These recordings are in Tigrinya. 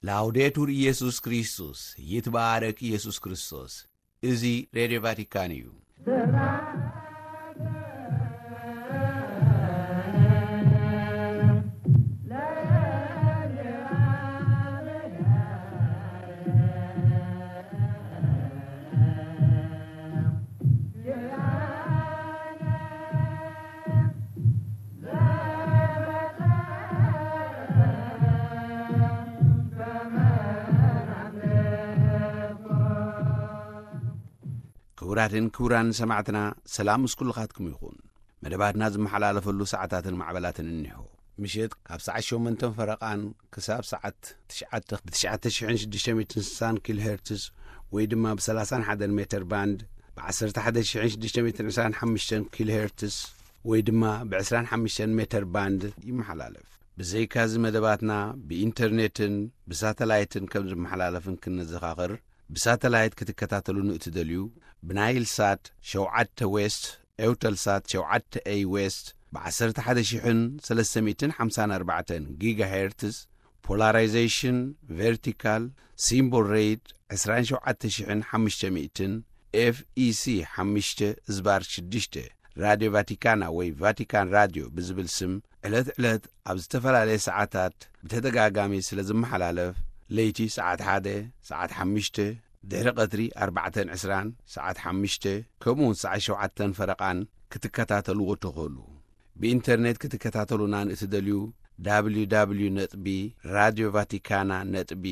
ላውዴቱር ኢየሱስ ክርስቶስ፣ ይትባረክ ኢየሱስ ክርስቶስ። እዚ ሬድዮ ቫቲካን እዩ። ክቡራትን ክቡራን ሰማዕትና፣ ሰላም ምስ ኩልኻትኩም ይኹን። መደባትና ዝመሓላለፈሉ ሰዓታትን ማዕበላትን እኒሆ። ምሸት ካብ ሰዓት ሸሞንተን ፈረቓን ክሳብ ሰዓት ትሽዓተ ብ ትሽዓተ ሽሕን ሽዱሽተ ሚእትን ስሳን ኪሎ ሄርትዝ ወይ ድማ ብ ሰላሳን ሓደን ሜተር ባንድ፣ ብ ዓሰርተ ሓደ ሽሕን ሽዱሽተ ሚእትን ዕስራን ሓሙሽተን ኪሎ ሄርትዝ ወይ ድማ ብ ዕስራን ሓሙሽተን ሜተር ባንድ ይመሓላለፍ። ብዘይካዚ መደባትና ብኢንተርኔትን ብሳተላይትን ከም ዝመሓላለፍን ክንዘኻኽር፣ ብሳተላይት ክትከታተሉ ንእትደልዩ፣ ብናይል ሳት ሸውዓተ ዌስት፣ ኤውተል ሳት ሸውዓተ ኤይ ዌስት፣ ብ ዓሰርተ ሓደ ሽሕን ሰለስተ ሚእትን ሓምሳን ኣርባዕተን ጊጋ ሄርትዝ፣ ፖላራይዜሽን ቨርቲካል፣ ሲምቦል ሬት ዕስራን ሸውዓተ ሽሕን ሓሙሽተ ሚእትን፣ ኤፍ ኢ ሲ ሓሙሽተ ዝባር ሽዱሽተ፣ ራድዮ ቫቲካና ወይ ቫቲካን ራድዮ ብዝብል ስም ዕለት ዕለት ኣብ ዝተፈላለየ ሰዓታት ብተደጋጋሚ ስለ ዝመሓላለፍ፣ ለይቲ ሰዓት ሓደ፣ ሰዓት ሓሙሽተ፣ ድሕሪ ቀትሪ ኣርባዕተን ዕስራን፣ ሰዓት ሓሙሽተ፣ ከምኡ እውን ሰዓት ሸውዓተን ፈረቓን ክትከታተልዎ ትኽእሉ። ብኢንተርኔት ክትከታተሉና ንእትደልዩ፣ ደብሊው ደብሊው ደብሊው ነጥቢ ራድዮ ቫቲካና ነጥቢ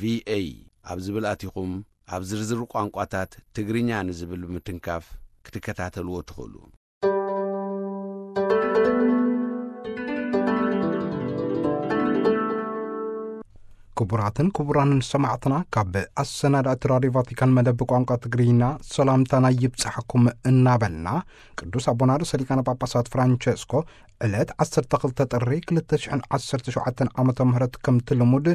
ቪ ኤ ኣብ ዝብል ኣቲኹም፣ ኣብ ዝርዝር ቋንቋታት ትግርኛ ንዝብል ብምትንካፍ ክትከታተልዎ ትኽእሉ። ክቡራትን ክቡራንን ሰማዕትና፣ ካብ ኣሰናዳእቲ ራድዮ ቫቲካን መደብ ቋንቋ ትግርኛ ሰላምታና ይብጻሕኩም እናበልና፣ ቅዱስ ኣቦና ርእሰ ሊቃነ ጳጳሳት ፍራንቸስኮ ዕለት ዓሰርተ ክልተ ጥሪ ክልተ ሽሕን ዓሰርተ ሸውዓተን ዓመተ ምህረት ከምቲ ልሙድ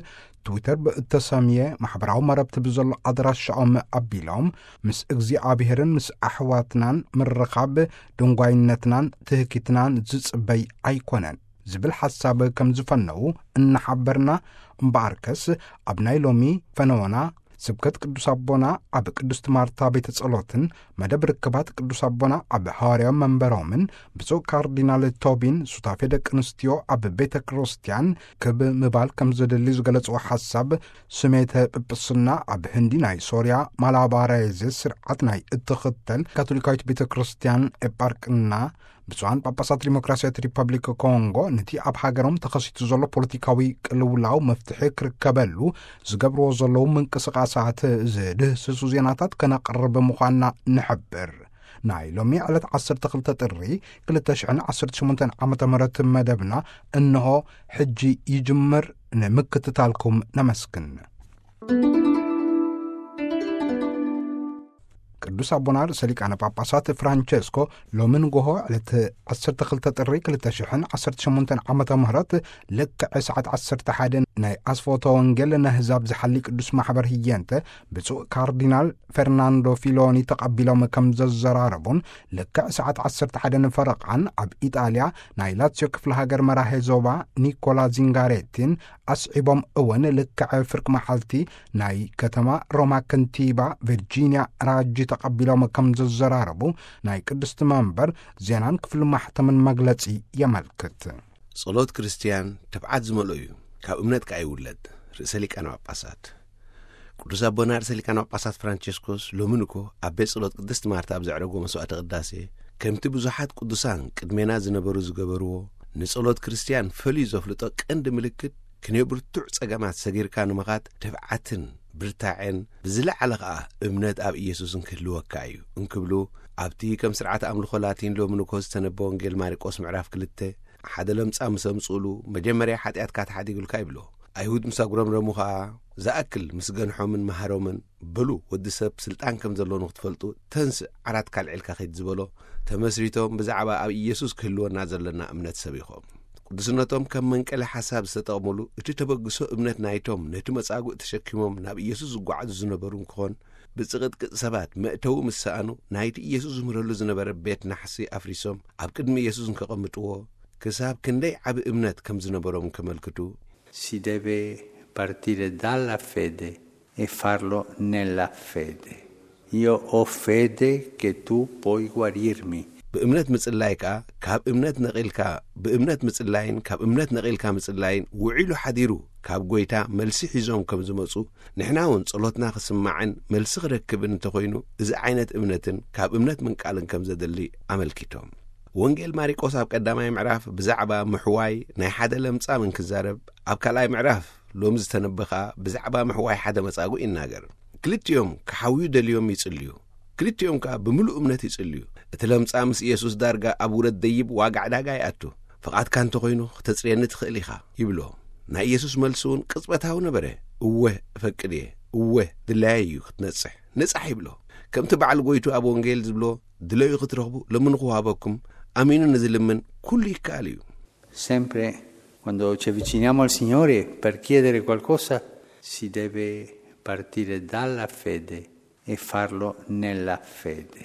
ትዊተር ብእተሰምየ ማሕበራዊ መረብቲ ብዘሎ ኣድራሻኦም ኣቢሎም፣ ምስ እግዚኣብሄርን ምስ ኣሕዋትናን ምርኻብ ድንጓይነትናን ትህኪትናን ዝጽበይ ኣይኮነን ዝብል ሓሳብ ከም ዝፈነዉ እናሓበርና፣ እምበኣርከስ ኣብ ናይ ሎሚ ፈነወና ስብከት ቅዱስ ኣቦና ኣብ ቅድስት ማርታ ቤተ ጸሎትን መደብ ርክባት ቅዱስ ኣቦና ኣብ ሃዋርያዊ መንበሮምን ብፁዕ ካርዲናል ቶቢን ሱታፌ ደቂ ኣንስትዮ ኣብ ቤተ ክርስቲያን ክብ ምባል ከም ዘደሊ ዝገለጽዎ ሓሳብ፣ ስሜተ ጵጵስና ኣብ ህንዲ ናይ ሶርያ ማላባራይዝ ስርዓት ናይ እትኽተል ካቶሊካዊት ቤተ ክርስቲያን ኤጳርቅና ብፁዓን ጳጳሳት ዲሞክራሲያዊት ሪፐብሊክ ኮንጎ ነቲ ኣብ ሃገሮም ተኸሲቱ ዘሎ ፖለቲካዊ ቅልውላው መፍትሒ ክርከበሉ ዝገብርዎ ዘለዉ ምንቅስቓሳት ዝድህስሱ ዜናታት ከነቕርብ ምዃንና ንሕብር። ናይ ሎሚ ዕለት ዓሰርተ ክልተ ጥሪ ክልተ ሽሕን ዓሰርተ ሸሞንተን ዓመተ ምህረት መደብና እንሆ ሕጂ ይጅምር። ንምክትታልኩም ነመስግን። ቅዱስ ኣቦና ርእሰ ሊቃነ ጳጳሳት ፍራንቸስኮ ሎሚ ንጎሆ ዕለት ዓሰርተ ክልተ ጥሪ ክልተ ሽሕን ዓሰርተ ሸሞንተን ዓመተ ምህረት ልክዕ ሰዓት ዓሰርተ ሓደ ናይ ኣስፎተ ወንጌል ነህዛብ ዝሓሊ ቅዱስ ማሕበር ህየንተ ብፁዕ ካርዲናል ፈርናንዶ ፊሎኒ ተቐቢሎም ከም ዘዘራረቡን፣ ልክዕ ሰዓት ዓሰርተ ሓደ ንፈረቓን ኣብ ኢጣልያ ናይ ላትዮ ክፍለ ሃገር መራሄ ዞባ ኒኮላ ዚንጋሬቲን ኣስዒቦም እውን ልክዕ ፍርቂ መዓልቲ ናይ ከተማ ሮማ ከንቲባ ቪርጂንያ ራጂ ተቐቢሎም ከም ዘዘራረቡ ናይ ቅድስቲ መንበር ዜናን ክፍሊ ማሕተምን መግለጺ የመልክት። ጸሎት ክርስትያን ትብዓት ዝመልኦ እዩ፣ ካብ እምነት ከኣ ይውለድ። ርእሰ ሊቃነ ጳጳሳት ቅዱስ ኣቦና ርእሰ ሊቃነ ጳጳሳት ፍራንቸስኮስ ሎሚ ንኮ ኣብ ቤት ጸሎት ቅድስቲ ማርታ ኣብ ዘዕረጎ መስዋዕተ ቅዳሴ፣ ከምቲ ብዙሓት ቅዱሳን ቅድሜና ዝነበሩ ዝገበርዎ፣ ንጸሎት ክርስትያን ፈልዩ ዘፍልጦ ቀንዲ ምልክት፣ ክንዮ ብርቱዕ ጸገማት ሰጊርካ ንምኻድ ትብዓትን ብርታዔን፣ ብዝለዓለ ኸኣ እምነት ኣብ ኢየሱስን ክህልወካ እዩ እንክብሉ፣ ኣብቲ ከም ስርዓተ ኣምልኾ ላቲን ሎሚ ንኮ ዝተነበ ወንጌል ማርቆስ ምዕራፍ ክልተ፣ ሓደ ለምጻም ምስ ኣምጽኡሉ፣ መጀመርያ ሓጢኣትካ ተሓዲጉልካ ይብሎ። ኣይሁድ ምስ ኣጉረምረሙ ኸኣ፣ ዝኣክል ምስ ገንሖምን መሃሮምን፣ በሉ፣ ወዲ ሰብ ስልጣን ከም ዘሎ ንኽትፈልጡ፣ ተንስእ፣ ዓራትካ ኣልዒልካ ኺድ ዝበሎ፣ ተመስሪቶም ብዛዕባ ኣብ ኢየሱስ ክህልወና ዘለና እምነት ሰቢኾም። ቅዱስነቶም ከም መንቀሊ ሓሳብ ዝተጠቕሙሉ፣ እቲ ተበግሶ እምነት ናይቶም ነቲ መጻጉዕ ተሸኪሞም ናብ ኢየሱስ ዝጓዓዙ ዝነበሩ እንክኾን፣ ብጽቕጥቅጥ ሰባት መእተዊ ምስ ሰኣኑ፣ ናይቲ ኢየሱስ ዝምህረሉ ዝነበረ ቤት ናሕሲ ኣፍሪሶም ኣብ ቅድሚ ኢየሱስ እንከቐምጥዎ፣ ክሳብ ክንደይ ዓቢ እምነት ከም ዝነበሮም እንከመልክቱ፣ Si deve partire dalla fede e farlo nella fede. Io ho fede che tu puoi guarirmi. ብእምነት ምጽላይ ከኣ ካብ እምነት ነቒልካ ብእምነት ምጽላይን ካብ እምነት ነቒልካ ምጽላይን ውዒሉ ሓዲሩ ካብ ጎይታ መልሲ ሒዞም ከም ዝመጹ ንሕና እውን ጸሎትና ክስማዕን መልሲ ክረክብን እንተኾይኑ እዚ ዓይነት እምነትን ካብ እምነት ምንቃልን ከም ዘድሊ ኣመልኪቶም። ወንጌል ማሪቆስ ኣብ ቀዳማይ ምዕራፍ ብዛዕባ ምሕዋይ ናይ ሓደ ለምጻም እንክዛረብ ኣብ ካልኣይ ምዕራፍ ሎሚ ዝተነበ ከኣ ብዛዕባ ምሕዋይ ሓደ መጻጉዕ ይናገር። ክልቲኦም ክሓውዩ ደልዮም ይጽልዩ። ክልቲኦም ከኣ ብምሉእ እምነት ይጽልዩ። እቲ ለምጻ ምስ ኢየሱስ ዳርጋ ኣብ ውረድ ደይብ ዋጋ ዕዳጋ ይኣቱ። ፍቓድካ እንተኾይኑ ክተጽርየኒ ትኽእል ኢኻ ይብሎ። ናይ ኢየሱስ መልሲ እውን ቅጽበታዊ ነበረ። እወ እፈቅድ እየ። እወ ድላየ እዩ ክትነጽሕ። ንጻሕ ይብሎ። ከምቲ በዓል ጎይቱ ኣብ ወንጌል ዝብሎ ድለዩ ክትረኽቡ ለምኑ ክወሃበኩም ኣሚኑ ንዝልምን ኩሉ ይከኣል እዩ። Sempre quando ci avviciniamo al Signore per chiedere qualcosa, si deve partire dalla fede e farlo nella fede.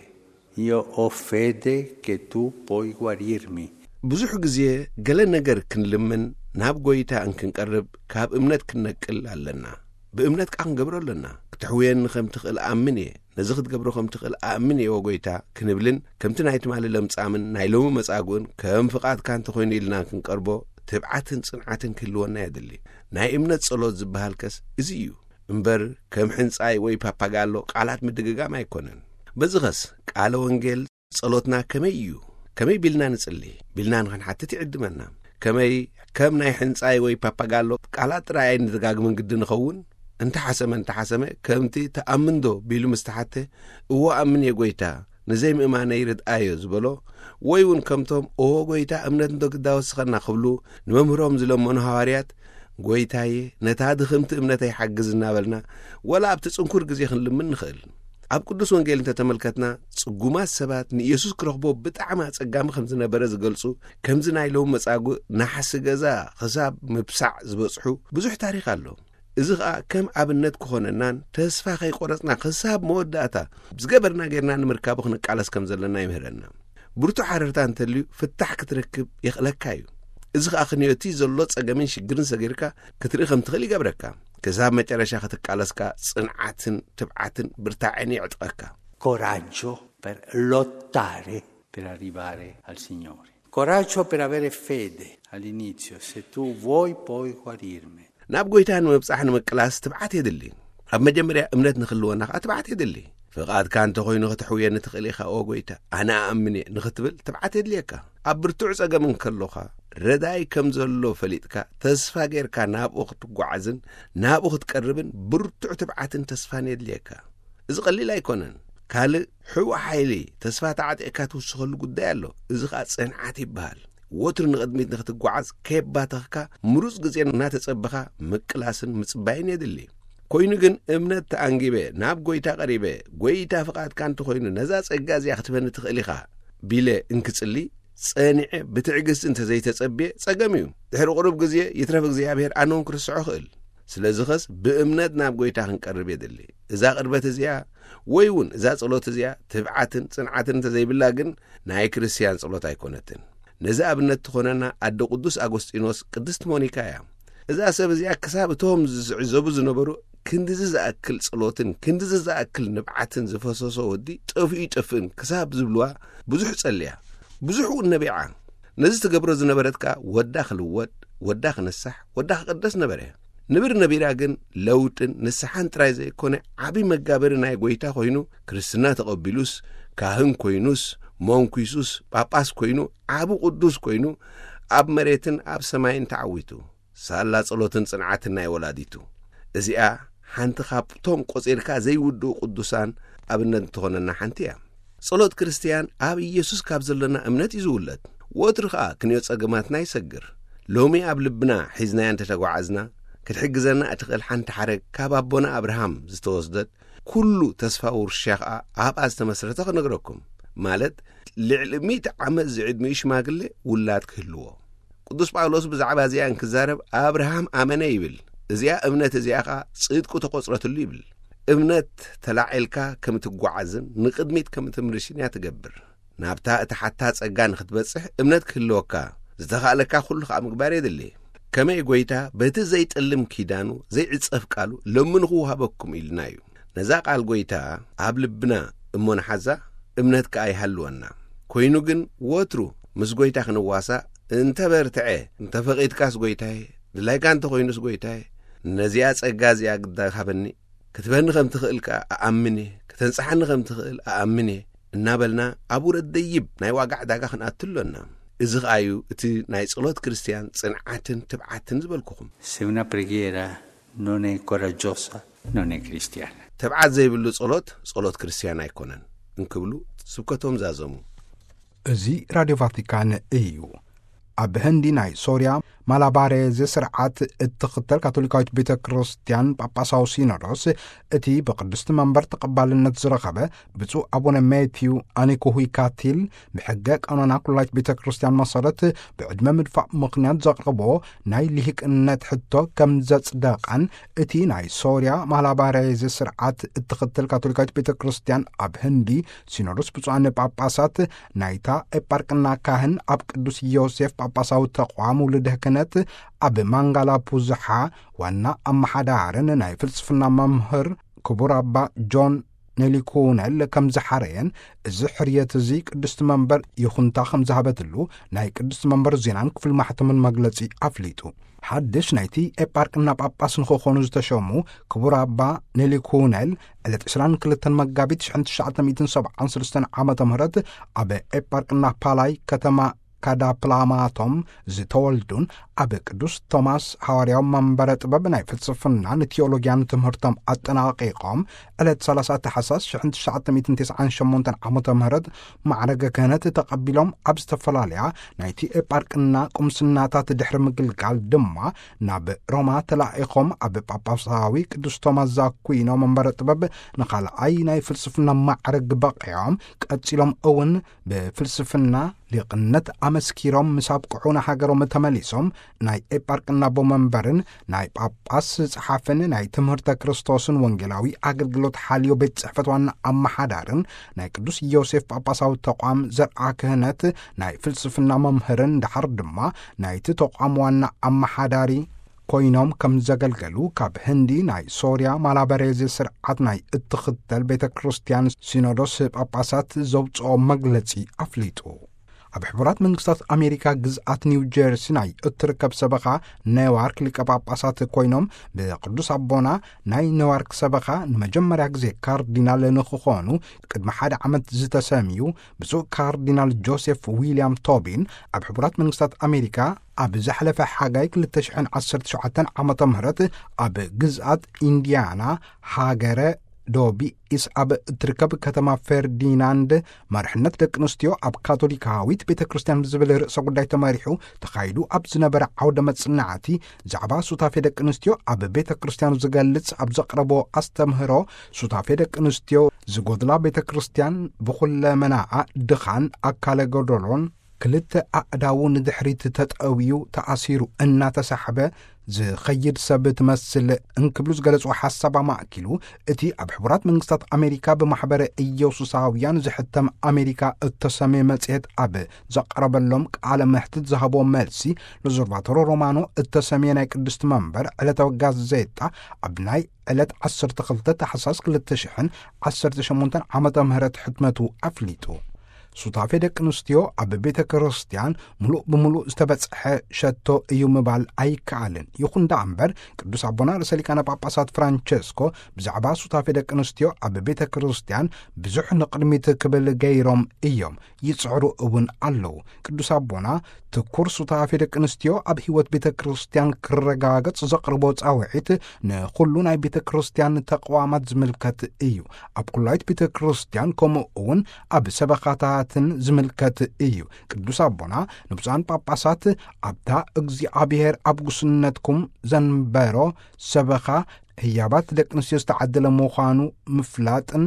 Io ho fede che tu puoi guarirmi. ብዙሕ ግዜ ገለ ነገር ክንልምን ናብ ጎይታ እንክንቀርብ ካብ እምነት ክንነቅል ኣለና። ብእምነት ቃ ክንገብሮ ኣለና። ክትሕውየኒ ከም ትኽእል ኣምን እየ። ነዚ ክትገብሮ ከም ትኽእል ኣምን እየ ወጎይታ ክንብልን ከምቲ ናይ ትማሊ ለምጻምን ናይ ሎሚ መጻጉእን ከም ፍቓድካ እንተኾይኑ ኢልና ክንቀርቦ ትብዓትን ጽንዓትን ክህልወና የድሊ። ናይ እምነት ጸሎት ዝበሃል ከስ እዚ እዩ እምበር ከም ሕንጻይ ወይ ፓፓጋሎ ቃላት ምድግጋም ኣይኮነን። በዚ ኸስ ቃለ ወንጌል ጸሎትና ከመይ እዩ? ከመይ ቢልና ንጽሊ? ቢልና ንኽንሓትት ይዕድመና። ከመይ ከም ናይ ሕንጻይ ወይ ፓፓጋሎ ቃላት ጥራይ ኣይንደጋግምን ግዲ ንኸውን? እንተሓሰመ እንተሓሰመ ከምቲ ተኣምንዶ ቢሉ ምስ ተሓተ እዎ ኣምን እየ ጎይታ ንዘይምእማነይ ርድኣዮ ዝበሎ ወይ እውን ከምቶም እዎ ጎይታ እምነት እንዶ ግዳ ወስኸና ክብሉ ንመምህሮም ዝለመኑ ሃዋርያት ጎይታዬ ነታ ድኽምቲ እምነተይ ሓግዝ እናበልና ወላ ኣብቲ ጽንኩር ግዜ ክንልምን ንኽእል። ኣብ ቅዱስ ወንጌል እንተተመልከትና ጽጉማት ሰባት ንኢየሱስ ክረኽቦ ብጣዕሚ ኣጸጋሚ ከም ዝነበረ ዝገልጹ ከምዚ ናይ ሎም መጻጉእ ናሕሲ ገዛ ክሳብ ምብሳዕ ዝበጽሑ ብዙሕ ታሪኽ ኣሎ። እዚ ኸኣ ከም ኣብነት ክኾነናን ተስፋ ከይቆረጽና ክሳብ መወዳእታ ዝገበርና ጌርና ንምርካቡ ክንቃለስ ከም ዘለና ይምህረና። ብርቱዕ ሓረርታ እንተልዩ ፍታሕ ክትረክብ የኽእለካ እዩ። እዚ ኸኣ ክንዮቲ ዘሎ ጸገምን ሽግርን ሰጊርካ ክትርኢ ከም ትኽእል ይገብረካ። ክሳብ መጨረሻ ክትቃለስካ ጽንዓትን ትብዓትን ብርታዕን ይዕጥቀካ። Coraggio per lottare per arrivare al Signore. Coraggio per avere fede all'inizio, se tu vuoi poi guarirmi. ናብ ጎይታ ንምብጻሕ ንምቅላስ ትብዓት የድሊ። ኣብ መጀመርያ እምነት ንክልወና ከዓ ትብዓት የድሊ። ፍቓድካ እንተኾይኑ ከተሕውየኒ ትኽእል ኢኻ ኦ ጎይታ፣ ኣነ ኣኣምን እየ ንኽትብል ትብዓት የድልየካ። ኣብ ብርቱዕ ጸገም እንከሎኻ ረዳይ ከም ዘሎ ፈሊጥካ ተስፋ ጌርካ ናብኡ ክትጓዓዝን ናብኡ ክትቀርብን ብርቱዕ ትብዓትን ተስፋን የድልየካ። እዚ ቀሊል ኣይኮነን። ካልእ ሕቡእ ሓይሊ ተስፋ ተዓጢቕካ ትውስኸሉ ጉዳይ ኣሎ። እዚ ኸኣ ጽንዓት ይበሃል። ወትሩ ንቕድሚት ንኽትጓዓዝ ከየባተኽካ ምሩጽ ግዜ እናተጸበኻ ምቅላስን ምጽባይን የድሊ። ኮይኑ ግን እምነት ተኣንጊበ ናብ ጐይታ ቀሪበ ጐይታ ፍቓድካ እንተኾይኑ ነዛ ጸጋ እዚኣ ክትበኒ ትኽእል ኢኻ ቢለ እንክጽሊ ጸኒዐ ብትዕግስቲ እንተዘይተጸብየ ጸገም እዩ። ድሕሪ ቁሩብ ግዜ ይትረፍ እግዚኣብሔር ኣነ እውን ክርስዖ እኽእል። ስለዚ ኸስ ብእምነት ናብ ጐይታ ክንቀርብ የድሊ። እዛ ቅርበት እዚኣ ወይ እውን እዛ ጸሎት እዚኣ ትብዓትን ጽንዓትን እንተዘይብላ ግን ናይ ክርስትያን ጸሎት ኣይኮነትን። ነዚ ኣብነት ትኾነና ኣደ ቅዱስ ኣጎስጢኖስ ቅድስቲ ሞኒካ እያ። እዛ ሰብ እዚኣ ክሳብ እቶም ዝዕዘቡ ዝነበሩ ክንድዚ ዝኣክል ጸሎትን ክንድዚ ዝኣክል ንብዓትን ዝፈሰሶ ወዲ ጠፍኡ ይጠፍእን ክሳብ ዝብልዋ ብዙሕ ጸልያ፣ ብዙሕ እውን ነቢዓ። ነዚ ትገብሮ ዝነበረት ከኣ ወዳ ክልወጥ፣ ወዳ ክንሳሕ፣ ወዳ ክቕደስ ነበረ። ንብር ነቢራ ግን ለውጥን ንስሓን ጥራይ ዘይኮነ ዓቢ መጋበሪ ናይ ጐይታ ኮይኑ ክርስትና ተቐቢሉስ ካህን ኮይኑስ መንኩሱስ ጳጳስ ኮይኑ ዓቢ ቅዱስ ኮይኑ ኣብ መሬትን ኣብ ሰማይን ተዓዊቱ። ሳላ ጸሎትን ጽንዓትን ናይ ወላዲቱ። እዚኣ ሓንቲ ካብቶም ቆጺርካ ዘይውድኡ ቅዱሳን ኣብነት ትኾነና ሓንቲ እያ። ጸሎት ክርስትያን ኣብ ኢየሱስ ካብ ዘለና እምነት እዩ ዝውለድ። ወትሩ ኸኣ ክንዮ ጸገማትና ይሰግር። ሎሚ ኣብ ልብና ሒዝናያ እንተተጓዓዝና ክትሕግዘና እትኽእል ሓንቲ ሓረግ ካብ ኣቦና ኣብርሃም ዝተወስደት ኩሉ ተስፋ ውርሻ ኸኣ ኣብኣ ዝተመስረተ ክነግረኩም። ማለት ልዕሊ ሚእቲ ዓመት ዝዕድሚኡ ሽማግሌ ውላድ ክህልዎ። ቅዱስ ጳውሎስ ብዛዕባ እዚኣ እንክዛረብ ኣብርሃም ኣመነ ይብል። እዚኣ እምነት እዚኣ ኸኣ ጽድቁ ተቖጽረትሉ ይብል። እምነት ተላዒልካ ከም ትጓዓዝን ንቕድሚት ከም ትምርሽን እያ ትገብር። ናብታ እትሓታ ጸጋ ንኽትበጽሕ እምነት ክህልወካ ዝተኻእለካ ኩሉ ኸኣ ምግባር የድሊ። ከመይ ጎይታ በቲ ዘይጥልም ኪዳኑ ዘይዕጸፍ ቃሉ ለምኑ ክወሃበኩም ኢልና እዩ። ነዛ ቃል ጎይታ ኣብ ልብና እሞ ንሓዛ፣ እምነት ከኣ ይሃልወና። ኮይኑ ግን ወትሩ ምስ ጎይታ ክንዋሳእ እንተ በርትዐ፣ እንተ ፈቒድካስ ጎይታዬ፣ ድላይካ እንተ ኾይኑስ ጎይታዬ፣ ነዚኣ ጸጋ እዚኣ ግዳ ሃበኒ፣ ክትበኒ ከም ትኽእል ከኣ እኣምን እየ፣ ከተንጽሓኒ ከም ትኽእል እኣምን እየ እናበልና ኣብ ውረድ ደይብ ናይ ዋጋ ዕዳጋ ክንኣቱ ኣሎና። እዚ ኸኣ እዩ እቲ ናይ ጸሎት ክርስትያን ጽንዓትን ትብዓትን ዝበልኩኹም። Se una preghiera non è coraggiosa, non è cristiana. ትብዓት ዘይብሉ ጸሎት፣ ጸሎት ክርስትያን ኣይኮነን እንክብሉ ስብከቶም ዛዘሙ። እዚ ራድዮ ቫቲካን እዩ። ኣብ ህንዲ ናይ ሶርያ ማላባሬዝ ስርዓት እትኽተል ካቶሊካዊት ቤተ ክርስቲያን ጳጳሳዊ ሲኖዶስ፣ እቲ ብቅድስቲ መንበር ተቐባልነት ዝረኸበ ብፁዕ ኣቡነ ሜትዩ ኣኒኩሁይካቲል፣ ብሕገ ቀኖና ኩላይት ቤተ ክርስቲያን መሰረት፣ ብዕድመ ምድፋእ ምኽንያት ዘቕረቦ ናይ ልሂቅነት ሕቶ ከም ዘጽደቐን፣ እቲ ናይ ሶርያ ማላባሬዝ ስርዓት እትኽተል ካቶሊካዊት ቤተ ክርስቲያን ኣብ ህንዲ ሲኖዶስ ብፁዓን ጳጳሳት ናይታ ኤጳርቅና ካህን፣ ኣብ ቅዱስ ዮሴፍ ጳጳሳዊ ተቋም ውሉድ ክህነት ኣብ ማንጋላ ቡዝሓ ዋና ኣመሓዳርን ናይ ፍልስፍና መምህር ክቡር ኣባ ጆን ኔሊኩነል ከም ዝሓረየን፣ እዚ ሕርየት እዚ ቅድስቲ መንበር ይኹንታ ከም ዝሃበትሉ ናይ ቅድስቲ መንበር ዜናን ክፍል ማሕተምን መግለጺ ኣፍሊጡ። ሓድሽ ናይቲ ኤጳርቅና ጳጳስ ንክኾኑ ዝተሸሙ ክቡር ኣባ ኔሊኩነል ዕለት ዕስራን ክልተን መጋቢት ሽሕን ትሽዓተ ሚእትን ሰብዓን ሰለስተን ዓመተ ምህረት ኣብ ኤጳርቅና ፓላይ ከተማ ካዳፕላማቶም ዝተወልዱን፣ ኣብ ቅዱስ ቶማስ ሃዋርያዊ መንበረ ጥበብ ናይ ፍልስፍናን ቲዮሎጊያን ትምህርቶም ኣጠናቒቖም ዕለት ሰላሳ ታሕሳስ ሽሕን ትሽዓተ ሚእትን ተስዓን ሸሞንተን ዓመተ ምህረት ማዕረገ ክህነት ተቐቢሎም፣ ኣብ ዝተፈላለያ ናይቲ ኤጳርቅና ቁምስናታት ድሕሪ ምግልጋል ድማ ናብ ሮማ ተላኢኾም፣ ኣብ ጳጳሳዊ ቅዱስ ቶማስ ዛኩዊኖ መንበረ ጥበብ ንኻልኣይ ናይ ፍልስፍና ማዕረግ በቒዖም። ቀጺሎም እውን ብፍልስፍና ሊቕነት ኣመስኪሮም ምስ ኣብቅዑ ንሃገሮም ተመሊሶም፣ ናይ ኤጳርቅና ኣቦ መንበርን ናይ ጳጳስ ጸሓፍን ናይ ትምህርተ ክርስቶስን ወንጌላዊ ኣገልግሎት ሓልዮ ቤት ጽሕፈት ዋና ኣመሓዳርን ናይ ቅዱስ ዮሴፍ ጳጳሳዊ ተቋም ዘርዓ ክህነት ናይ ፍልስፍና መምህርን፣ ደሓር ድማ ናይቲ ተቋም ዋና ኣመሓዳሪ ኮይኖም ከም ዘገልገሉ ካብ ህንዲ ናይ ሶርያ ማላበሬዝ ስርዓት ናይ እትኽተል ቤተ ክርስቲያን ሲኖዶስ ጳጳሳት ዘውፅኦ መግለጺ ኣፍሊጡ። ኣብ ሕቡራት መንግስታት ኣሜሪካ ግዝኣት ኒው ጀርሲ ናይ እትርከብ ሰበኻ ኔዋርክ ሊቀ ጳጳሳት ኮይኖም፣ ብቅዱስ ኣቦና ናይ ኔዋርክ ሰበኻ ንመጀመርያ ግዜ ካርዲናል ንክኾኑ ቅድሚ ሓደ ዓመት ዝተሰምዩ ብፁዕ ካርዲናል ጆሴፍ ዊልያም ቶቢን፣ ኣብ ሕቡራት መንግስታት ኣሜሪካ ኣብ ዝሓለፈ ሓጋይ ክልተ ሽሕን ዓሰርተ ሸውዓተን ዓመተ ምህረት ኣብ ግዝኣት ኢንዲያና ሃገረ ዶቢኢስ ኣብ እትርከብ ከተማ ፈርዲናንድ፣ መርሕነት ደቂ ኣንስትዮ ኣብ ካቶሊካዊት ቤተ ክርስቲያን ብዝብል ርእሰ ጉዳይ ተመሪሑ ተኻይዱ ኣብ ዝነበረ ዓውደ መጽናዕቲ፣ ዛዕባ ሱታፌ ደቂ ኣንስትዮ ኣብ ቤተ ክርስቲያን ዝገልጽ ኣብ ዘቕረቦ ኣስተምህሮ፣ ሱታፌ ደቂ ኣንስትዮ ዝጎድላ ቤተ ክርስቲያን ብኹለመናኣ ድኻን ኣካለ ጎደሎን፣ ክልተ ኣእዳዉ ንድሕሪት ተጠውዩ ተኣሲሩ እናተሳሕበ ዝኸይድ ሰብ ትመስል እንክብሉ ዝገለጽዎ ሓሳብ ኣማእኪሉ፣ እቲ ኣብ ሕቡራት መንግስታት ኣሜሪካ ብማሕበረ ኢየሱሳውያን ዝሕተም ኣሜሪካ እተሰምየ መጽሔት ኣብ ዘቕረበሎም ቃለ መሕትት ዝሃቦ መልሲ፣ ሎዞርቫቶሮ ሮማኖ እተሰምየ ናይ ቅድስቲ መንበር ዕለታዊ ጋዜጣ ኣብ ናይ ዕለት ዓሰርተ ክልተ ታሕሳስ ክልተ ሽሕን ዓሰርተ ሸሞንተን ዓመተ ምህረት ሕትመቱ ኣፍሊጡ። ሱታፌ ደቂ ኣንስትዮ ኣብ ቤተ ክርስቲያን ምሉእ ብምሉእ ዝተበጽሐ ሸቶ እዩ ምባል ኣይከኣልን። ይኹን ደኣ እምበር፣ ቅዱስ ኣቦና ርእሰ ሊቃነ ጳጳሳት ፍራንቸስኮ ብዛዕባ ሱታፌ ደቂ ኣንስትዮ ኣብ ቤተ ክርስቲያን ብዙሕ ንቕድሚት ክብል ገይሮም እዮም ይጽዕሩ እውን ኣለዉ። ቅዱስ ኣቦና ትኩር ሱታፌ ደቂ ኣንስትዮ ኣብ ህይወት ቤተ ክርስቲያን ክረጋገጽ ዘቕርቦ ጻውዒት ንኹሉ ናይ ቤተ ክርስቲያን ተቕዋማት ዝምልከት እዩ። ኣብ ኩላይት ቤተ ክርስቲያን ከምኡ እውን ኣብ ሰበኻታትን ዝምልከት እዩ። ቅዱስ ኣቦና ንብፁዓን ጳጳሳት ኣብታ እግዚኣብሔር ኣብ ጉስነትኩም ዘንበሮ ሰበኻ ህያባት ደቂ ኣንስትዮ ዝተዓደለ ምዃኑ ምፍላጥን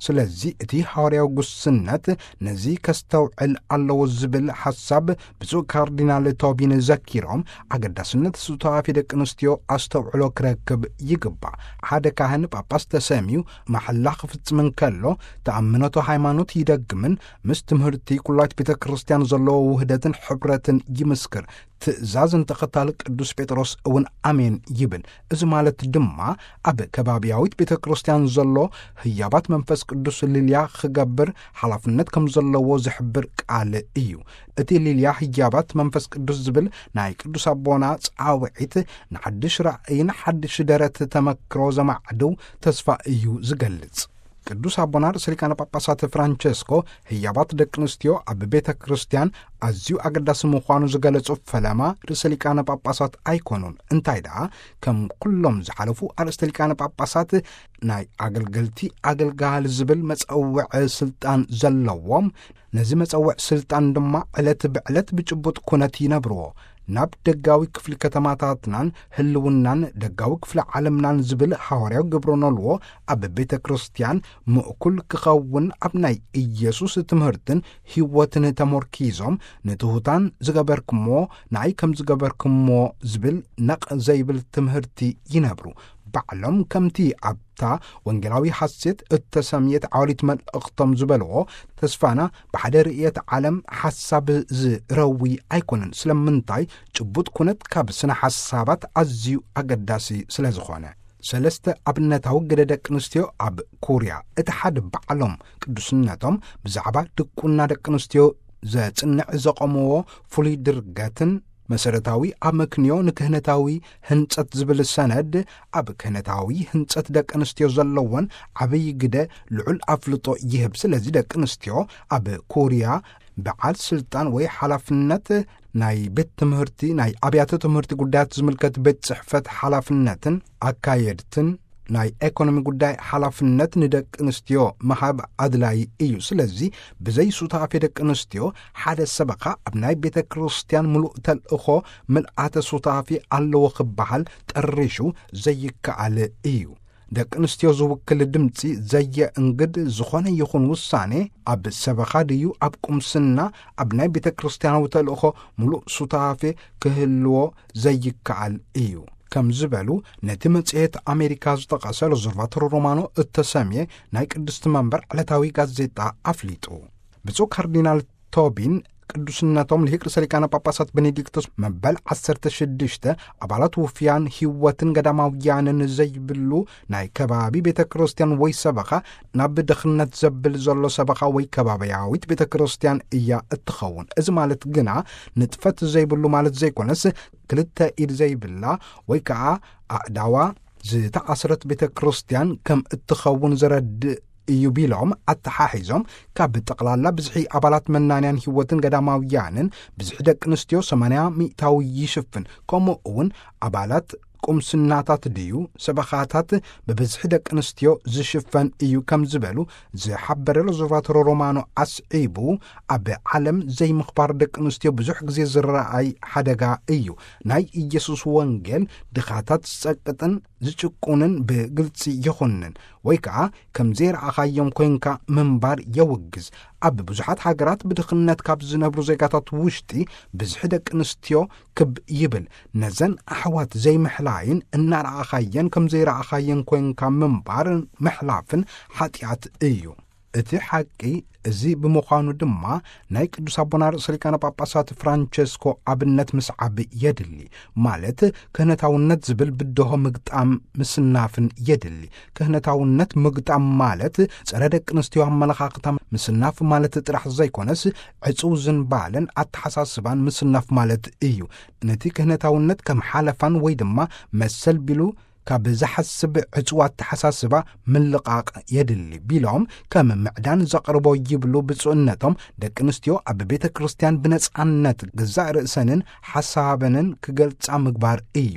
ስለዚ እቲ ሃዋርያዊ ጉስነት ነዚ ከስተውዕል ኣለዎ ዝብል ሓሳብ ብፁዕ ካርዲናል ቶቢን ዘኪሮም፣ ኣገዳስነት ሱታፌ ደቂ ኣንስትዮ ኣስተውዕሎ ክረክብ ይግባእ። ሓደ ካህን ጳጳስ ተሰምዩ ማሕላ ክፍጽም እንከሎ፣ ተኣምኖተ ሃይማኖት ይደግምን ምስ ትምህርቲ ኩላዊት ቤተ ክርስቲያን ዘለዎ ውህደትን ሕብረትን ይምስክር። ትእዛዝ እንተኸታሊ ቅዱስ ጴጥሮስ እውን ኣሜን ይብል። እዚ ማለት ድማ ኣብ ከባብያዊት ቤተ ክርስቲያን ዘሎ ህያባት መንፈስ ቅዱስ ልልያ ክገብር ሓላፍነት ከም ዘለዎ ዝሕብር ቃል እዩ። እቲ ልልያ ህያባት መንፈስ ቅዱስ ዝብል ናይ ቅዱስ ኣቦና ጻውዒት ንሓድሽ ራእይን ሓድሽ ደረት ተመክሮ ዘማዕድው ተስፋ እዩ ዝገልጽ። ቅዱስ ኣቦና ርእሰ ሊቃነ ጳጳሳት ፍራንቸስኮ ህያባት ደቂ ኣንስትዮ ኣብ ቤተ ክርስቲያን ኣዝዩ ኣገዳሲ ምዃኑ ዝገለጹ ፈለማ ርእሰ ሊቃነ ጳጳሳት ኣይኮኑን። እንታይ ደኣ፣ ከም ኩሎም ዝሓለፉ ኣርእስተ ሊቃነ ጳጳሳት ናይ ኣገልገልቲ ኣገልጋሊ ዝብል መጸውዒ ስልጣን ዘለዎም፣ ነዚ መጸውዕ ስልጣን ድማ ዕለት ብዕለት ብጭቡጥ ኩነት ይነብርዎ። ናብ ደጋዊ ክፍሊ ከተማታትናን ህልውናን ደጋዊ ክፍሊ ዓለምናን ዝብል ሃዋርያዊ ግብረ ኖልዎ ኣብ ቤተ ክርስቲያን ምእኩል ክኸውን፣ ኣብ ናይ ኢየሱስ ትምህርትን ህይወትን ተሞርኪዞም፣ ንትሑታን ዝገበርክሞ ንኣይ ከም ዝገበርክሞ ዝብል ነቕ ዘይብል ትምህርቲ ይነብሩ። ባዕሎም ከምቲ ኣብታ ወንጌላዊ ሓሴት እተሰምየት ዓዋሊት መልእኽቶም ዝበልዎ፣ ተስፋና ብሓደ ርእየት ዓለም ሓሳብ ዝረዊ ኣይኮነን። ስለምንታይ? ጭቡጥ ኩነት ካብ ስነ ሓሳባት ኣዝዩ ኣገዳሲ ስለ ዝኾነ። ሰለስተ ኣብነታዊ ግደ ደቂ ኣንስትዮ ኣብ ኮርያ፣ እቲ ሓደ ባዕሎም ቅዱስነቶም ብዛዕባ ድቁና ደቂ ኣንስትዮ ዘጽንዕ ዘቐምዎ ፍሉይ ድርገትን መሰረታዊ ኣመክንዮ ንክህነታዊ ህንጸት ዝብል ሰነድ፣ ኣብ ክህነታዊ ህንጸት ደቂ ኣንስትዮ ዘለወን ዓብዪ ግደ ልዑል ኣፍልጦ ይህብ። ስለዚ ደቂ ኣንስትዮ ኣብ ኮርያ በዓል ስልጣን ወይ ሓላፍነት ናይ ቤት ትምህርቲ፣ ናይ ኣብያተ ትምህርቲ ጉዳያት ዝምልከት ቤት ጽሕፈት ሓላፍነትን ኣካየድትን ናይ ኤኮኖሚ ጉዳይ ሓላፍነት ንደቂ ኣንስትዮ ምሃብ ኣድላይ እዩ። ስለዚ ብዘይ ሱታፌ ደቂ ኣንስትዮ ሓደ ሰበኻ ኣብ ናይ ቤተ ክርስቲያን ምሉእ ተልእኾ ምልኣተ ሱታፌ ኣለዎ ክበሃል ጠሪሹ ዘይከኣል እዩ። ደቂ ኣንስትዮ ዝውክል ድምፂ ዘየእንግድ ዝኾነ ይኹን ውሳኔ ኣብ ሰበኻ ድዩ ኣብ ቁምስና ኣብ ናይ ቤተ ክርስቲያናዊ ተልእኾ ምሉእ ሱታፌ ክህልዎ ዘይከኣል እዩ ከም ዝበሉ ነቲ መጽሔት ኣሜሪካ ዝጠቐሰ ሎዘርቫቶሮ ሮማኖ እተሰምየ ናይ ቅድስቲ መንበር ዕለታዊ ጋዜጣ ኣፍሊጡ። ብፁዕ ካርዲናል ቶቢን ቅዱስነቶም ልሂቅ ርእሰ ሊቃነ ጳጳሳት ቤኔዲክቶስ መበል ዓሰርተ ሽዱሽተ ኣባላት ውፍያን ህይወትን ገዳማውያንን ዘይብሉ ናይ ከባቢ ቤተ ክርስቲያን ወይ ሰበኻ ናብ ድኽነት ዘብል ዘሎ ሰበኻ ወይ ከባብያዊት ቤተ ክርስቲያን እያ እትኸውን። እዚ ማለት ግና ንጥፈት ዘይብሉ ማለት ዘይኮነስ፣ ክልተ ኢድ ዘይብላ ወይ ከዓ ኣእዳዋ ዝተኣስረት ቤተ ክርስቲያን ከም እትኸውን ዘረድእ እዩ ቢሎም ኣተሓሒዞም፣ ካብ ጠቕላላ ብዝሒ ኣባላት መናንያን ህይወትን ገዳማውያንን ብዝሒ ደቂ ኣንስትዮ ሰማንያ ሚእታዊ ይሽፍን፣ ከምኡ እውን ኣባላት ቁምስናታት ድዩ ሰበኻታት ብብዝሒ ደቂ ኣንስትዮ ዝሽፈን እዩ ከም ዝበሉ ዝሓበረ ሎዘርቫቶሮ ሮማኖ ኣስዒቡ፣ ኣብ ዓለም ዘይምኽባር ደቂ ኣንስትዮ ብዙሕ ግዜ ዝረኣይ ሓደጋ እዩ። ናይ ኢየሱስ ወንጌል ድኻታት ዝጸቅጥን ዝጭቁንን ብግልጺ ይኹንን ወይ ከዓ ከም ዘይረኣኻዮም ኮይንካ ምንባር የውግዝ። ኣብ ብዙሓት ሃገራት ብድኽነት ካብ ዝነብሩ ዜጋታት ውሽጢ ብዝሒ ደቂ ኣንስትዮ ክብ ይብል። ነዘን ኣሕዋት ዘይምሕላይን እናረኣኻየን ከም ዘይረኣኻየን ኮይንካ ምንባር ምሕላፍን ሓጢኣት እዩ። እቲ ሓቂ እዚ ብምዃኑ ድማ ናይ ቅዱስ ኣቦና ርእሰ ሊቃነ ጳጳሳት ፍራንቸስኮ ኣብነት ምስዓብ የድሊ። ማለት ክህነታውነት ዝብል ብድሆ ምግጣም ምስናፍን የድሊ። ክህነታውነት ምግጣም ማለት ጸረ ደቂ ኣንስትዮ ኣመለኻኽታ ምስናፍ ማለት ጥራሕ ዘይኮነስ ዕጹው ዝንባለን ኣተሓሳስባን ምስናፍ ማለት እዩ። ነቲ ክህነታውነት ከም ሓለፋን ወይ ድማ መሰል ቢሉ ካብ ዝሓስብ ዕጹው ኣተሓሳስባ ምልቓቕ የድሊ ቢሎም ከም ምዕዳን ዘቕርቦ ይብሉ ብፁዕነቶም፣ ደቂ ኣንስትዮ ኣብ ቤተ ክርስቲያን ብነጻነት ገዛእ ርእሰንን ሓሳበንን ክገልጻ ምግባር እዩ።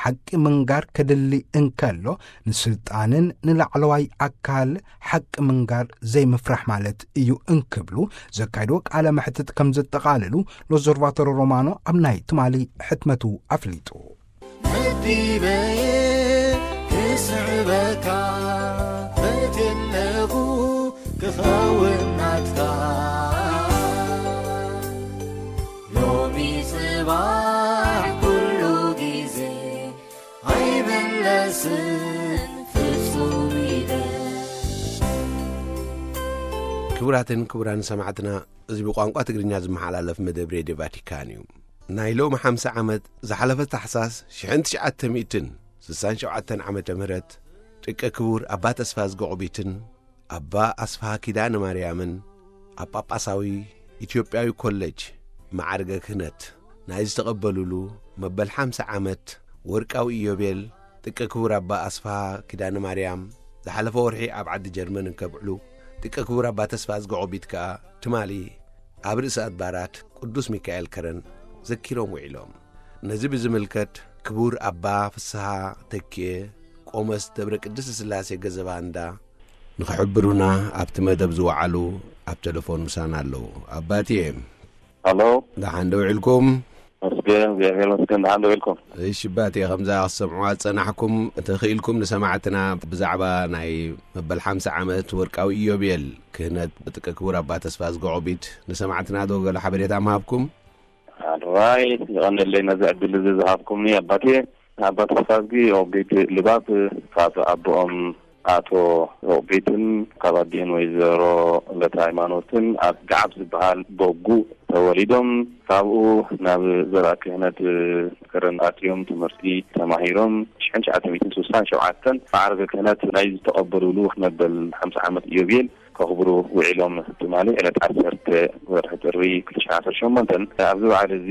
ሓቂ ምንጋር ከድሊ እንከሎ ንስልጣንን ንላዕለዋይ ኣካል ሓቂ ምንጋር ዘይምፍራሕ ማለት እዩ እንክብሉ ዘካይድዎ ቃለ መሕትት ከም ዘጠቓልሉ ሎዘርቫቶሮ ሮማኖ ኣብ ናይ ትማሊ ሕትመቱ ኣፍሊጡ። መዲበየ ክስዕበካ በትለኹ እውን ናትካ ሎሚ ጽባሕ ኩሉ ግዜ ኣይምለስን ፍጹም ኢለ። ክቡራትን ክቡራን ሰማዕትና፣ እዚ ብቋንቋ ትግርኛ ዝመሓላለፍ መደብ ሬድዮ ቫቲካን እዩ። ናይ ሎሚ ሓምሳ ዓመት ዝሓለፈ ታሕሳስ ሽሕን ትሽዓተ ሚእትን ስሳን ሸውዓተን ዓመተ ምህረት ጥቀ ክቡር ኣባ ተስፋ ዝገቑቢትን ኣባ ኣስፍሃ ኪዳነ ማርያምን ኣብ ጳጳሳዊ ኢትዮጵያዊ ኮሌጅ መዓርገ ክህነት ናይ ዝተቐበሉሉ መበል ሓምሳ ዓመት ወርቃዊ ኢዮቤል ጥቀ ክቡር ኣባ ኣስፍሃ ኪዳነ ማርያም ዝሓለፈ ወርሒ ኣብ ዓዲ ጀርመን እንከብዕሉ፣ ጥቀ ክቡር ኣባ ተስፋ ዝገቖቢት ከኣ ትማሊ ኣብ ርእሰ ኣድባራት ቅዱስ ሚካኤል ከረን ዘኪሮም ውዒሎም። ነዚ ብዝምልከት ክቡር ኣባ ፍስሃ ተኪኤ ቆሞስ ደብረ ቅድስት ስላሴ ገዘባ እንዳ ንኽሕብሩና ኣብቲ መደብ ዝወዓሉ ኣብ ቴሌፎን ምሳና ኣለዉ። ኣባትየ፣ ሃሎ። ደሓን ዶ ውዒልኩም? መስገን፣ እግዚኣብሔር መስገን፣ ደሓን ዶ ውዒልኩም? እሺ ኣባትየ፣ ከምዛ ክትሰምዕዋ ዝጸናሕኩም፣ እንተኽኢልኩም ንሰማዕትና ብዛዕባ ናይ መበል ሓምሳ ዓመት ወርቃዊ ኢዮቤል ክህነት ጥቀ ክቡር ኣባ ተስፋ ዝገቖቢት ንሰማዕትና ዶ ገለ ሓበሬታ ምሃብኩም? ኣድራይ፣ ይቐንለይ ነዚ ዕድል እዚ ዝሃብኩምኒ ኣባቴ። ኣባ ተስፋዝጊ ሮቢት ልባብ ካብ ኣቦኦም ኣቶ ሮቢትን ካብ ኣዲህን ወይዘሮ ለተ ሃይማኖትን ኣብ ገዓብ ዝበሃል ቦጉ ተወሊዶም፣ ካብኡ ናብ ዘርኣ ክህነት ከረን ኣትዮም ትምህርቲ ተማሂሮም ሽሕን ትሽዓተ ሚእትን ስሳን ሸውዓተን ማዕርገ ክህነት ናይ ዝተቐበሉሉ መበል ሓምሳ ዓመት ኢዮቤል ከኽብሩ ውዒሎም። ትማሊ ዕለት ዓሰርተ ወርሒ ጥሪ ክልተ ሽሕን ዓሰርተ ሸሞንተን ኣብዚ በዓል እዚ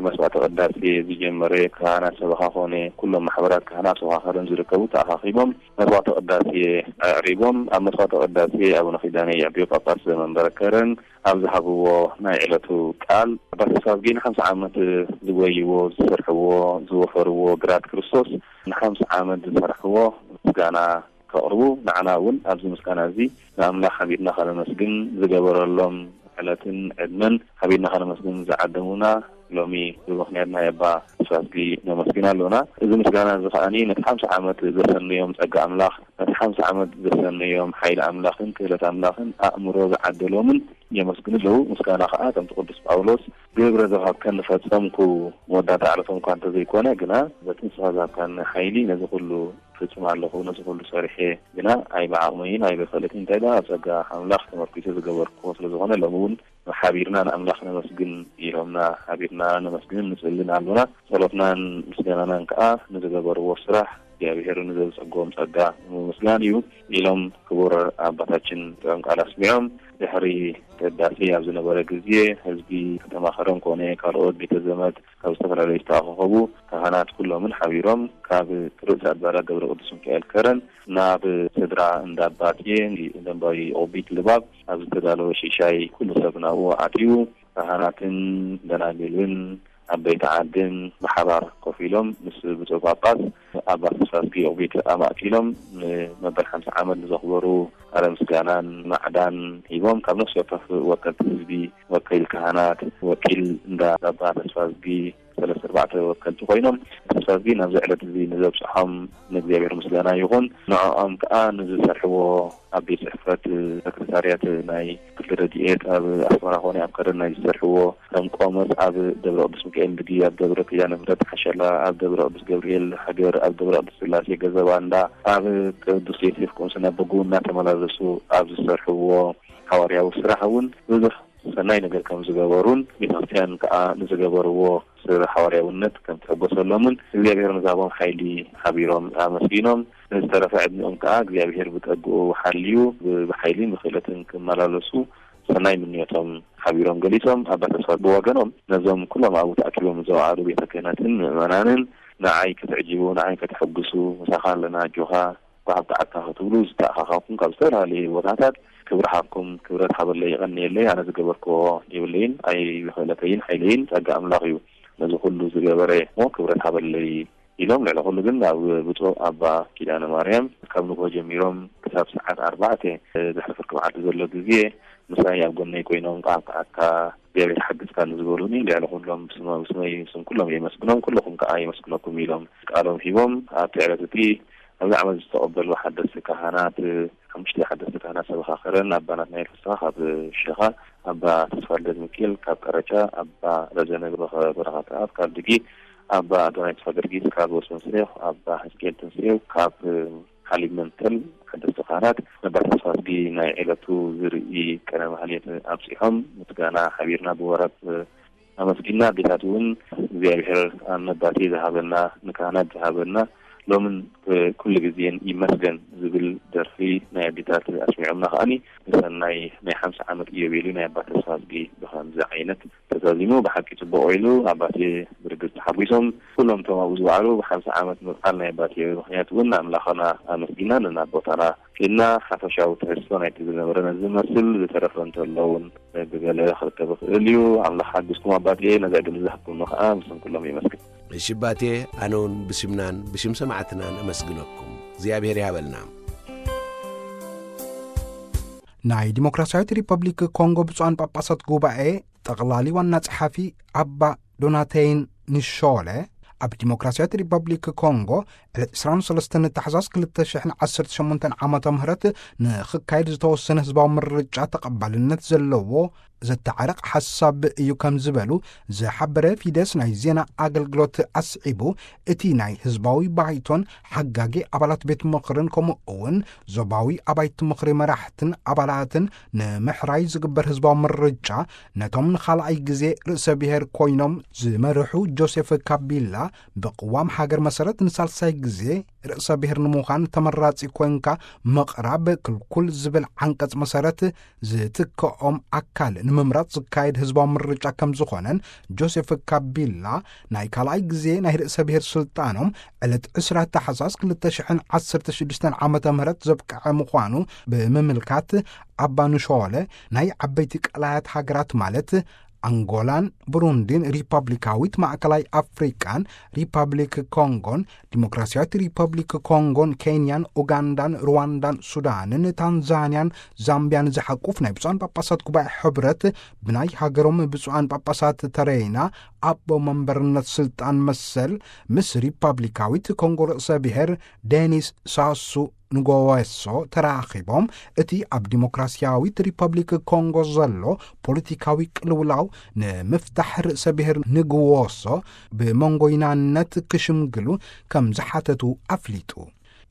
መስዋዕተ ቅዳሴ ዝጀመረ ካህናት ሰበኻ ኮነ ኩሎም ማሕበራት ካህናት ሰበኻ ከረን ዝርከቡ ተኣኻኺቦም መስዋዕተ ቅዳሴ ኣዕሪጎም። ኣብ መስዋዕተ ቅዳሴ ኣቡነ ኪዳነ የዕብዮ ጳጳስ ዘመንበረ ከረን ኣብ ዝሃብዎ ናይ ዕለቱ ቃል ኣባ ተስፋዝጊ ንሓምሳ ዓመት ዝጎይዎ ዝሰርሕዎ ዝወፈርዎ ግራት ክርስቶስ ንሓምሳ ዓመት ዝሰርሕዎ ምስጋና ከቕርቡ፣ ንዓና እውን ኣብዚ ምስጋና እዚ ንኣምላኽ ሓቢርና ከነመስግን ዝገበረሎም ዕለትን ዕድመን ሓቢርና ከነመስግን ዝዓደሙና ሎሚ ብምኽንያት ናይ ኣባ ተስፋዝጊ ነመስግን ኣሎና። እዚ ምስጋና እዚ ከኣኒ ነቲ ሓምሳ ዓመት ዘሰነዮም ጸጋ ኣምላኽ፣ ነቲ ሓምሳ ዓመት ዘሰነዮም ሓይሊ ኣምላኽን ክእለት ኣምላኽን ኣእምሮ ዝዓደሎምን የመስግኑ ኣለዉ። ምስጋና ከኣ ከምቲ ቅዱስ ጳውሎስ ግብረ ዝሃብከኒ ፈጸምኩ፣ መወዳእታ ዕለቶም እኳ እንተዘይኮነ፣ ግና በቲ ንስኻ ዝሃብካኒ ሓይሊ ነዚ ኩሉ ፍጽም ኣለኹ፣ ነዚ ኩሉ ሰሪሐ፣ ግና ኣይብዓቕመይን ኣይብኽእለትን እንታይ ደኣ ኣብ ጸጋ ኣምላኽ ተመርኲሰ ዝገበርክዎ ስለ ዝኾነ፣ ሎሚ እውን ሓቢርና ንኣምላኽ ነመስግን ኢሎምና፣ ሓቢርና ነመስግንን ንጽልን ኣሎና። ጸሎትናን ምስጋናናን ከኣ ንዝገበርዎ ስራሕ እግዚኣብሔር ንዘብጸግዎም ጸጋ ንምምስጋን እዩ ኢሎም ክቡር ኣባታችን ጥዑም ቃል ኣስሚዖም። ድሕሪ ቅዳሴ ኣብ ዝነበረ ግዜ ህዝቢ ከተማ ከረን ኮነ ካልኦት ቤተ ዘመድ ካብ ዝተፈላለዩ ዝተኣኻኸቡ ካህናት ኩሎምን ሓቢሮም ካብ ርእሰ ኣድባራት ደብረ ቅዱስ ሚካኤል ከረን ናብ ስድራ እንዳ ኣባቴ ደንባዊ ኦቢት ልባብ ኣብ ዝተዳለወ ሽሻይ ኩሉ ሰብ ናብኡ ኣትዩ ካህናትን ደናግልን ዓበይቲ ዓድን ብሓባር ኮፍ ኢሎም ምስ ብፁዕ ጳጳስ ኣባ ተስፋዝጊ ኦቢት ኣማእኪሎም ንመበል ሓምሳ ዓመት ንዘኽበሩ ቃለ ምስጋናን ማዕዳን ሂቦም። ካብ ነፍሲ ወከፍ ወከልቲ ህዝቢ፣ ወኪል ካህናት፣ ወኪል እንዳ ኣባ ተስፋዝጊ ሰለስተ ኣርባዕተ ወከልቲ ኮይኖም ተስፋዝጊ ናብዚ ዕለት እዚ ንዘብፅሖም ንእግዚኣብሔር ምስጋና ይኹን። ንዕኦም ከዓ ንዝሰርሕዎ ኣብ ቤት ጽሕፈት ሰክረታርያት ናይ ክፍሊ ረድኤት ኣብ ኣስመራ ኮነ ኣብ ከረን ናይ ዝሰርሕዎ ከም ቆመስ ኣብ ደብረ ቅዱስ ሚካኤል ድጊ ኣብ ደብረ ኪዳነ ምሕረት ሓሸላ ኣብ ደብረ ቅዱስ ገብርኤል ሃገር ኣብ ደብረ ቅዱስ ስላሴ ገዘባ እንዳ ኣብ ቅዱስ ዮሴፍ ቁምስና በጉ እናተመላለሱ ኣብ ዝሰርሕዎ ሓዋርያዊ ስራሕ እውን ብዙሕ ሰናይ ነገር ከም ዝገበሩን ቤተክርስትያን ከዓ ንዝገበርዎ ስለ ሓዋርያውነት ከም ትሕጎሰሎምን እግዚኣብሔር ንዝሃቦም ሓይሊ ሓቢሮም ኣመስጊኖም፣ ንዝተረፈ ዕድሚኦም ከዓ እግዚኣብሔር ብጸግኡ ሓልዩ ብሓይልን ብክእለትን ክመላለሱ ሰናይ ምንዮቶም ሓቢሮም ገሊጾም። ኣባ ተስፋ ብወገኖም ነዞም ኩሎም ኣብኡ ተኣኪቦም ዝወዓሉ ቤተ ክህነትን ምእመናንን ንዓይ ክትዕጅቡ፣ ንዓይ ከተሐጉሱ፣ ምሳኻ ኣለና፣ ኣጆኻ፣ ብሃብቲ ዓድካ ክትብሉ ዝተኣኻኻብኩም ካብ ዝተፈላለዩ ቦታታት ክብሪ ሃብኩም፣ ክብረት ሃበለይ፣ የቐንየለይ። ኣነ ዝገበርክዎ የብለይን፣ ኣይብኽእለተይን፣ ሓይለይን ጸጋ ኣምላኽ እዩ ነዚ ኩሉ ዝገበረ እሞ ክብረት ሃበለይ ኢሎም፣ ልዕሊ ኩሉ ግን ናብ ብፁዕ ኣባ ኪዳነ ማርያም ካብ ንግሆ ጀሚሮም ክሳብ ሰዓት ኣርባዕተ ድሕሪ ፍርቂ መዓልቲ ዘሎ ግዜ ምሳይ ኣብ ጎነይ ኮይኖም፣ "ቃል ከኣካ እግዚኣብሔር ሓግዝካ" ንዝበሉኒ፣ ልዕሊ ኩሎም ብስመ-፣ ብስመይ ስም ኩሎም የመስግኖም፣ ኩልኹም ከኣ የመስግነኩም ኢሎም ቃሎም ሂቦም። ኣብቲ ዕለት እቲ ኣብዚ ዓመት ዝተቐበሉ ሓደስቲ ካህናት ሓሙሽተ ሓደስቲ ካህናት ሰበኻ ከረን፣ ኣባ ናትናኤል ፍስሓ ካብ ሸኻ፣ ኣባ ተስፋልደት ሚካኤል ካብ ቀረጫ፣ ኣባ ረዘነ በረኸት ኣብ ካብ ድጊ፣ ኣባ ኣዶናይ ተስፋ ጊዮርጊስ ካብ ወስመንስሌ፣ ኣባ ሕዝቅኤል ትንስኤው ካብ ሓሊብ መንተል፣ ሓደስቲ ካህናት ነባር ተስፋ ኣስጊ ናይ ዕለቱ ዝርኢ ቀነ ማህሌት ኣብጺሖም፣ ምስጋና ሓቢርና ብወረብ ኣመስጊና። ኣዴታት እውን እግዚኣብሔር ኣብ ነባቴ ዝሃበና፣ ንካህናት ዝሃበና፣ ሎምን ኩሉ ግዜን ይመስገን ዝብል ደርፊ ናይ ኣዴታት ኣስሚዖምና። ከኣኒ ንሰናይ ናይ ሓምሳ ዓመት ኢዮቤልዩ ናይ ኣባ ተስፋ ኣስጊ ብኸምዚ ዓይነት ተዛዚሙ ብሓቂ ጽቡቕ ኢሉ። ኣባቴ ብርግጽ ተሓጒሶም። ኩሎም እቶም ኣብኡ ዝወዓሉ ብሓምሳ ዓመት ምብዓል ናይ ኣባቴ ምኽንያት እውን ኣምላኽና ኣመስጊና ነናብ ቦታና ኬድና። ሓፈሻዊ ትሕዝቶ ናይቲ ዝነበረ ነዚ ዝመስል፣ ዝተረፈ እንተሎ እውን ብገለ ክርከብ ይኽእል እዩ። ኣምላኽ ሓግዝኩም ኣባቴ፣ ነዚ ዕድል ዝሃብኩምኒ ከኣ ምስም ኩሎም የመስግን። እሺ ኣባቴ፣ ኣነ እውን ብሽምናን ብሽም ሰማዕትናን ኣመስግነኩም። እግዚኣብሔር ይሃበልና። ናይ ዲሞክራሲያዊት ሪፐብሊክ ኮንጎ ብፁዓን ጳጳሳት ጉባኤ ጠቕላሊ ዋና ጸሓፊ ኣባ ዶናቴይን ንሾለ ኣብ ዲሞክራሲያዊት ሪፐብሊክ ኮንጎ ዕለት ዕስራን ሰለስተን ታሕሳስ ክልተ ሽሕን ዓሰርተ ሸሞንተን ዓመተ ምህረት ንኽካየድ ዝተወሰነ ህዝባዊ ምርጫ ተቐባልነት ዘለዎ ዘተዓርቕ ሓሳብ እዩ ከም ዝበሉ ዝሓበረ ፊደስ ናይ ዜና ኣገልግሎት ኣስዒቡ፣ እቲ ናይ ህዝባዊ ባይቶን ሓጋጊ ኣባላት ቤት ምኽርን ከምኡ እውን ዞባዊ ኣባይቲ ምኽሪ መራሕትን ኣባላትን ንምሕራይ ዝግበር ህዝባዊ ምርጫ ነቶም ንኻልኣይ ግዜ ርእሰ ብሔር ኮይኖም ዝመርሑ ጆሴፍ ካቢላ ብቅዋም ሃገር መሰረት ንሳልሳይ ግዜ ርእሰ ብሔር ንምዃን ተመራጺ ኮይንካ ምቕራብ ክልኩል ዝብል ዓንቀጽ መሰረት ዝትከኦም ኣካል ንምምራጽ ዝካየድ ህዝባዊ ምርጫ ከም ዝኾነን ጆሴፍ ካቢላ ናይ ካልኣይ ግዜ ናይ ርእሰ ብሔር ስልጣኖም ዕለት ዕስራ ታሕሳስ ክልተ ሽሕን ዓሰርተ ሽዱሽተን ዓመተ ምህረት ዘብቅዐ ምዃኑ ብምምልካት ኣባ ንሾለ ናይ ዓበይቲ ቀላያት ሃገራት ማለት ኣንጎላን ብሩንዲን ሪፐብሊካዊት ማእከላይ ኣፍሪቃን ሪፐብሊክ ኮንጎን ዲሞክራሲያዊት ሪፐብሊክ ኮንጎን ኬንያን ኡጋንዳን ሩዋንዳን ሱዳንን ታንዛንያን ዛምቢያን ዝሓቁፍ ናይ ብፁዓን ጳጳሳት ጉባኤ ሕብረት ብናይ ሃገሮም ብፁዓን ጳጳሳት ተረይና ኣቦ መንበርነት ስልጣን መሰል ምስ ሪፐብሊካዊት ኮንጎ ርእሰ ብሔር ዴኒስ ሳሱ ንጎወሶ ተራኺቦም እቲ ኣብ ዲሞክራሲያዊት ሪፐብሊክ ኮንጎ ዘሎ ፖለቲካዊ ቅልውላው ንምፍታሕ ርእሰ ብሔር ንግወሶ ብመንጎይናነት ክሽምግሉ ከም ዝሓተቱ ኣፍሊጡ።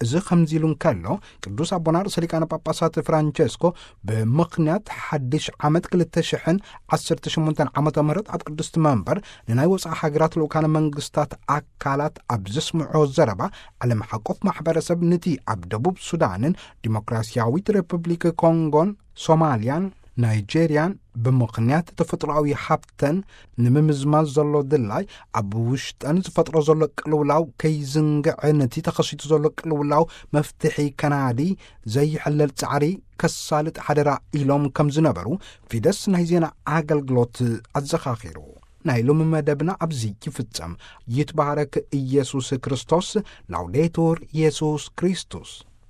እዚ ከምዚ ኢሉ እንከሎ ቅዱስ ኣቦና ርእሰ ሊቃነ ጳጳሳት ፍራንቸስኮ ብምኽንያት ሓድሽ ዓመት ክልተ ሽሕን ዓሰርተ ሸሞንተን ዓመተ ምህረት ኣብ ቅድስቲ መንበር ንናይ ወፃኢ ሃገራት ልኡካነ መንግስታት ኣካላት ኣብ ዘስምዖ ዘረባ ዓለም ሓቆፍ ማሕበረሰብ ንቲ ኣብ ደቡብ ሱዳንን ዲሞክራሲያዊት ሪፐብሊክ ኮንጎን ሶማልያን ናይጄርያን ብምኽንያት ተፈጥሮኣዊ ሃብተን ንምምዝማዝ ዘሎ ድላይ ኣብ ውሽጠን ዝፈጥሮ ዘሎ ቅልውላው ከይዝንግዐ ነቲ ተኸሲቱ ዘሎ ቅልውላው መፍትሒ ከናዲ ዘይሕለል ጻዕሪ ከሳልጥ ሓደራ ኢሎም ከም ዝነበሩ ፊደስ ናይ ዜና ኣገልግሎት ኣዘኻኺሩ። ናይ ሎሚ መደብና ኣብዚ ይፍጸም። ይትባረክ ኢየሱስ ክርስቶስ። ላውዴቱር ኢየሱስ ክርስቶስ።